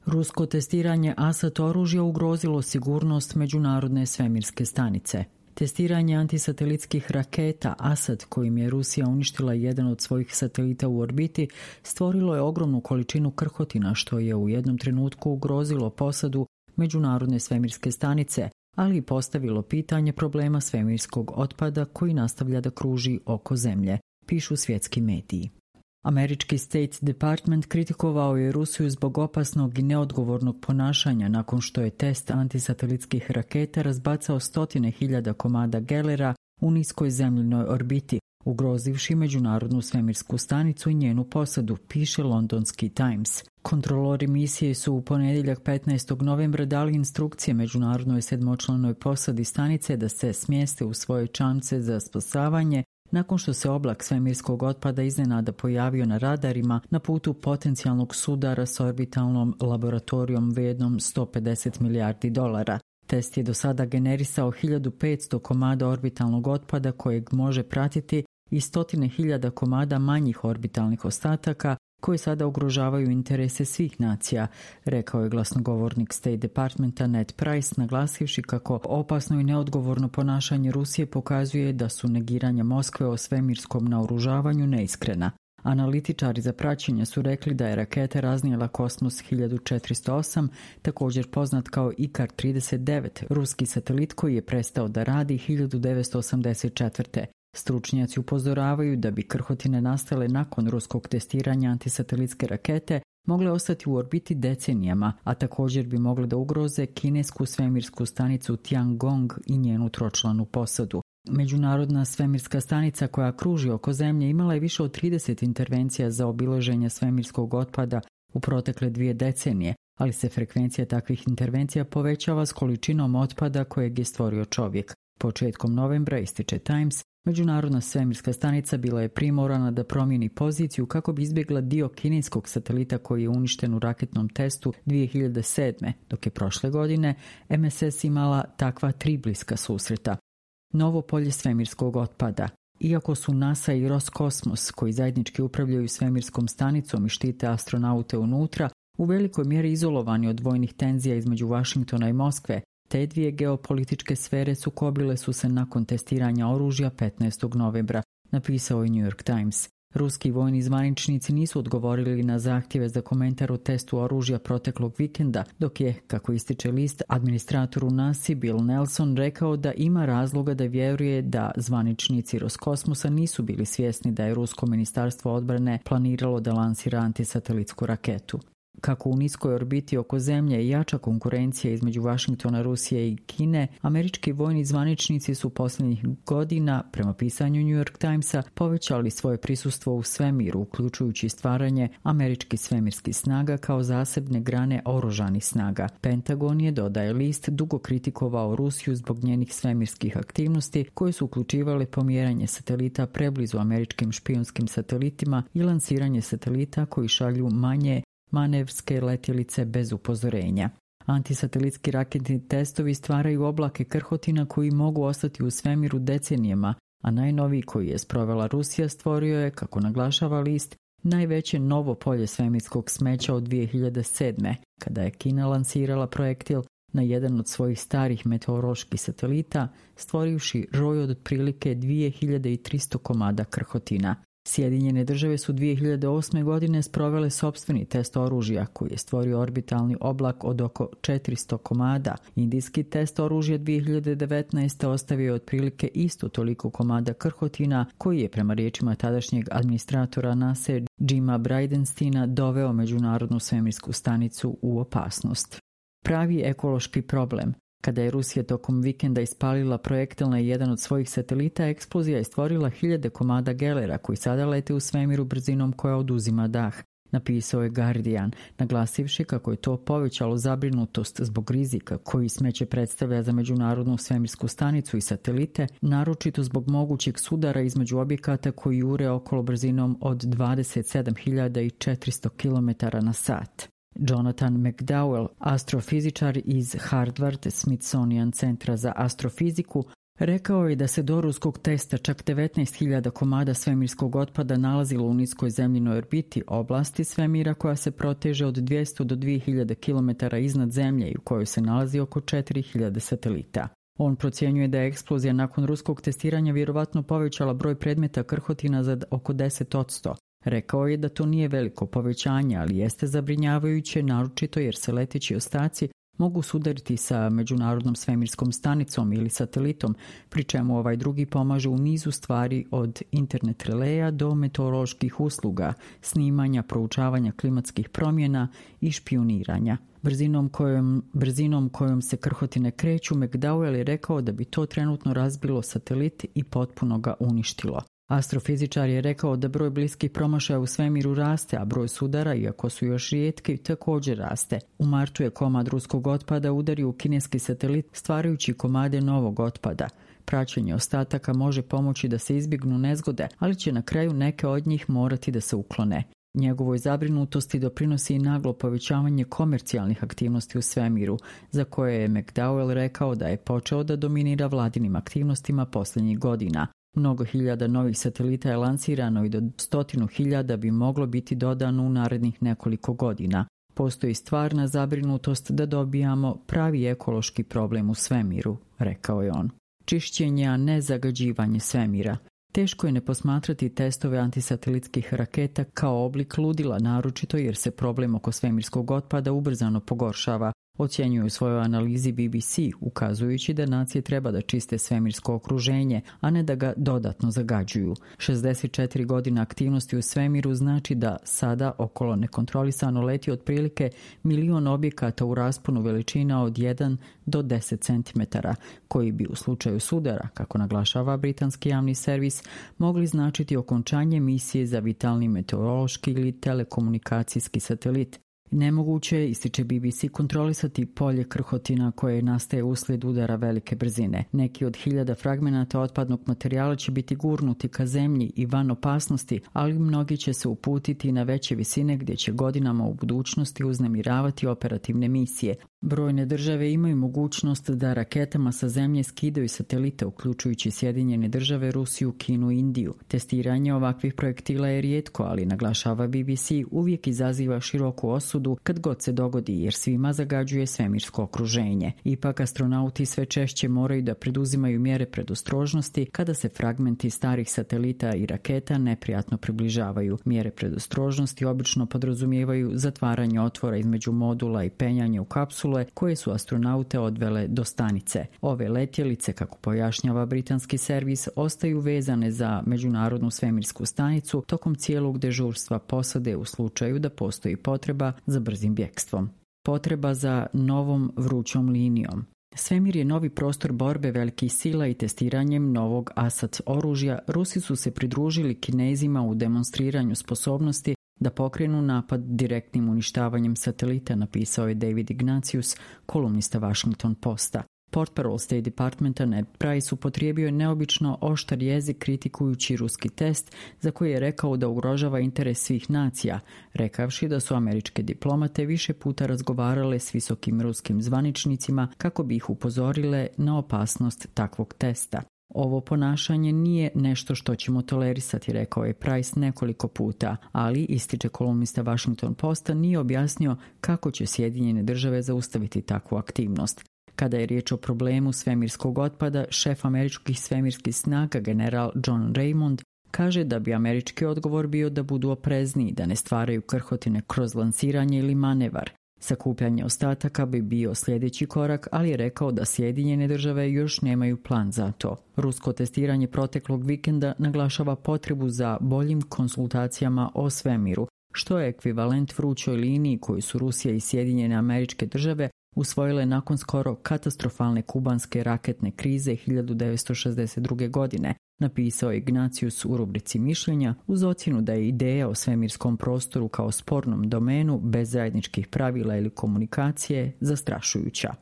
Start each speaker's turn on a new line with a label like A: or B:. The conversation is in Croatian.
A: Rusko testiranje ASAT oružja ugrozilo sigurnost Međunarodne svemirske stanice. Testiranje antisatelitskih raketa ASAT, kojim je Rusija uništila jedan od svojih satelita u orbiti, stvorilo je ogromnu količinu krhotina, što je u jednom trenutku ugrozilo posadu Međunarodne svemirske stanice, ali i postavilo pitanje problema svemirskog otpada koji nastavlja da kruži oko Zemlje, pišu svjetski mediji. Američki State Department kritikovao je Rusiju zbog opasnog i neodgovornog ponašanja nakon što je test antisatelitskih raketa razbacao 100.000 komada gelera u niskoj zemljinoj orbiti, ugrozivši Međunarodnu svemirsku stanicu i njenu posadu, piše londonski Times. Kontrolori misije su u ponedjeljak 15. novembra dali instrukcije Međunarodnoj sedmočlanoj posadi stanice da se smjeste u svoje čamce za spasavanje nakon što se oblak svemirskog otpada iznenada pojavio na radarima na putu potencijalnog sudara s orbitalnom laboratorijom vrijednom $150 milijardi. Test je do sada generisao 1500 komada orbitalnog otpada kojeg može pratiti i 100.000 komada manjih orbitalnih ostataka koji sada ugrožavaju interese svih nacija, rekao je glasnogovornik State Departmenta Ned Price, naglasivši kako opasno i neodgovorno ponašanje Rusije pokazuje da su negiranja Moskve o svemirskom naoružavanju neiskrena. Analitičari za praćenje su rekli da je raketa raznijela Kosmos 1408, također poznat kao Ikar-39, ruski satelit koji je prestao da radi 1984. Stručnjaci upozoravaju da bi krhotine nastale nakon ruskog testiranja antisatelitske rakete mogle ostati u orbiti decenijama, a također bi mogle da ugroze kinesku svemirsku stanicu Tiangong i njenu tročlanu posadu. Međunarodna svemirska stanica koja kruži oko Zemlje imala je više od 30 intervencija za obilaženje svemirskog otpada u protekle 2 decenije, ali se frekvencija takvih intervencija povećava s količinom otpada kojeg je stvorio čovjek. Početkom novembra, ističe Times, Međunarodna svemirska stanica bila je primorana da promijeni poziciju kako bi izbjegla dio kineskog satelita koji je uništen u raketnom testu 2007. dok je prošle godine MSS imala takva 3 bliska susreta. Novo polje svemirskog otpada. Iako su NASA i Roskosmos, koji zajednički upravljaju svemirskom stanicom i štite astronaute unutra, u velikoj mjeri izolovani od vojnih tenzija između Vašingtona i Moskve, te dvije geopolitičke sfere sukobile su se nakon testiranja oružja 15. novembra, napisao je New York Times. Ruski vojni zvaničnici nisu odgovorili na zahtjeve za komentar o testu oružja proteklog vikenda, dok je, kako ističe list, administratoru NASA Bill Nelson rekao da ima razloga da vjeruje da zvaničnici Roskosmosa nisu bili svjesni da je Rusko ministarstvo odbrane planiralo da lansira antisatelitsku raketu. Kako u niskoj orbiti oko Zemlje i jača konkurencija između Vašingtona, Rusije i Kine, američki vojni zvaničnici su posljednjih godina, prema pisanju New York Timesa, povećali svoje prisustvo u svemiru, uključujući stvaranje američkih svemirskih snaga kao zasebne grane oružanih snaga. Pentagon je, dodaje list, dugo kritikovao Rusiju zbog njenih svemirskih aktivnosti koje su uključivale pomjeranje satelita preblizu američkim špijunskim satelitima i lansiranje satelita koji šalju manje manevrske letjelice bez upozorenja. Antisatelitski raketni testovi stvaraju oblake krhotina koji mogu ostati u svemiru decenijama, a najnoviji koji je sprovela Rusija stvorio je, kako naglašava list, najveće novo polje svemirskog smeća od 2007. kada je Kina lansirala projektil na jedan od svojih starih meteoroloških satelita, stvorivši roj od otprilike 2300 komada krhotina. Sjedinjene države su 2008. godine sprovele sopstveni test oružja koji je stvorio orbitalni oblak od oko 400 komada. Indijski test oružja 2019. ostavio je otprilike isto toliko komada krhotina koji je, prema riječima tadašnjeg administratora NASA Jima Bridenstine, doveo Međunarodnu svemirsku stanicu u opasnost. Pravi ekološki problem. Kada je Rusija tokom vikenda ispalila projektil na jedan od svojih satelita, eksplozija je stvorila 1000 komada gelera koji sada lete u svemiru brzinom koja oduzima dah, napisao je Guardian, naglasivši kako je to povećalo zabrinutost zbog rizika koji smeće predstavlja za Međunarodnu svemirsku stanicu i satelite, naročito zbog mogućeg sudara između objekata koji jure okolo brzinom od 27.400 km/h. Jonathan McDowell, astrofizičar iz Harvard Smithsonian centra za astrofiziku, Rekao je da se do ruskog testa čak 19.000 komada svemirskog otpada nalazilo u niskoj zemljinoj orbiti, oblasti svemira koja se proteže od 200 do 2000 km iznad zemlje i u kojoj se nalazi oko 4.000 satelita. On procjenjuje da je eksplozija nakon ruskog testiranja vjerovatno povećala broj predmeta krhotina za oko 10%. Rekao je da to nije veliko povećanje, ali jeste zabrinjavajuće, naročito jer se leteći ostaci mogu sudariti sa međunarodnom svemirskom stanicom ili satelitom, pri čemu ovaj drugi pomaže u nizu stvari od internet releja do meteoroloških usluga, snimanja, proučavanja klimatskih promjena i špijuniranja. Brzinom kojom se krhotine kreću, McDowell je rekao da bi to trenutno razbilo satelit i potpuno ga uništilo. Astrofizičar je rekao da broj bliskih promašaja u svemiru raste, a broj sudara, iako su još rijetki, također raste. U martu je komad ruskog otpada udario u kineski satelit, stvarajući komade novog otpada. Praćenje ostataka može pomoći da se izbjegnu nezgode, ali će na kraju neke od njih morati da se uklone. Njegovoj zabrinutosti doprinosi i naglo povećavanje komercijalnih aktivnosti u svemiru, za koje je McDowell rekao da je počeo da dominira vladinim aktivnostima posljednjih godina. Mnogo hiljada novih satelita je lansirano i do 100.000 bi moglo biti dodano u narednih nekoliko godina. Postoji stvarna zabrinutost da dobijamo pravi ekološki problem u svemiru, rekao je on. Čišćenje, a ne zagađivanje svemira. Teško je ne posmatrati testove antisatelitskih raketa kao oblik ludila, naročito jer se problem oko svemirskog otpada ubrzano pogoršava, ocjenjuje u svojoj analizi BBC, ukazujući da nacije treba da čiste svemirsko okruženje, a ne da ga dodatno zagađuju. 64 godine aktivnosti u svemiru znači da sada okolo nekontrolisano leti otprilike 1.000.000 objekata u rasponu veličina od 1 do 10 cm, koji bi u slučaju sudara, kako naglašava britanski javni servis, mogli značiti okončanje misije za vitalni meteorološki ili telekomunikacijski satelit. Nemoguće je, ističe BBC, kontrolisati polje krhotina koje nastaje uslijed udara velike brzine. Neki od 1000 fragmenata otpadnog materijala će biti gurnuti ka zemlji i van opasnosti, ali mnogi će se uputiti na veće visine gdje će godinama u budućnosti uznemiravati operativne misije. Brojne države imaju mogućnost da raketama sa zemlje skidaju satelite, uključujući Sjedinjene Države, Rusiju, Kinu i Indiju. Testiranje ovakvih projektila je rijetko, ali, naglašava BBC, uvijek izaziva široku osudu kad god se dogodi, jer svima zagađuje svemirsko okruženje. Ipak astronauti sve češće moraju da preduzimaju mjere predostrožnosti kada se fragmenti starih satelita i raketa neprijatno približavaju. Mjere predostrožnosti obično podrazumijevaju zatvaranje otvora između modula i penjanje u kapsulu koje su astronaute odvele do stanice. Ove letjelice, kako pojašnjava britanski servis, ostaju vezane za međunarodnu svemirsku stanicu tokom cijelog dežurstva posade u slučaju da postoji potreba za brzim bjegstvom. Potreba za novom vrućom linijom. Svemir je novi prostor borbe velikih sila i testiranjem novog ASAT oružja Rusi su se pridružili Kinezima u demonstriranju sposobnosti da pokrenu napad direktnim uništavanjem satelita, napisao je David Ignatius, kolumnista Washington Posta. Portparol State Departmenta Ned Price upotrijebio je neobično oštar jezik kritikujući ruski test, za koji je rekao da ugrožava interes svih nacija, rekavši da su američke diplomate više puta razgovarale s visokim ruskim zvaničnicima kako bi ih upozorile na opasnost takvog testa. Ovo ponašanje nije nešto što ćemo tolerisati, rekao je Price nekoliko puta, ali, ističe kolumnista Washington Posta, nije objasnio kako će Sjedinjene Države zaustaviti takvu aktivnost. Kada je riječ o problemu svemirskog otpada, šef američkih svemirskih snaga general John Raymond kaže da bi američki odgovor bio da budu oprezniji, da ne stvaraju krhotine kroz lansiranje ili manevar. Sakupljanje ostataka bi bio sljedeći korak, ali je rekao da Sjedinjene Države još nemaju plan za to. Rusko testiranje proteklog vikenda naglašava potrebu za boljim konsultacijama o svemiru, što je ekvivalent vrućoj liniji koju su Rusija i Sjedinjene Američke Države usvojile nakon skoro katastrofalne kubanske raketne krize 1962. godine, napisao je Ignatius u rubrici mišljenja, uz ocjenu da je ideja o svemirskom prostoru kao spornom domenu bez zajedničkih pravila ili komunikacije zastrašujuća.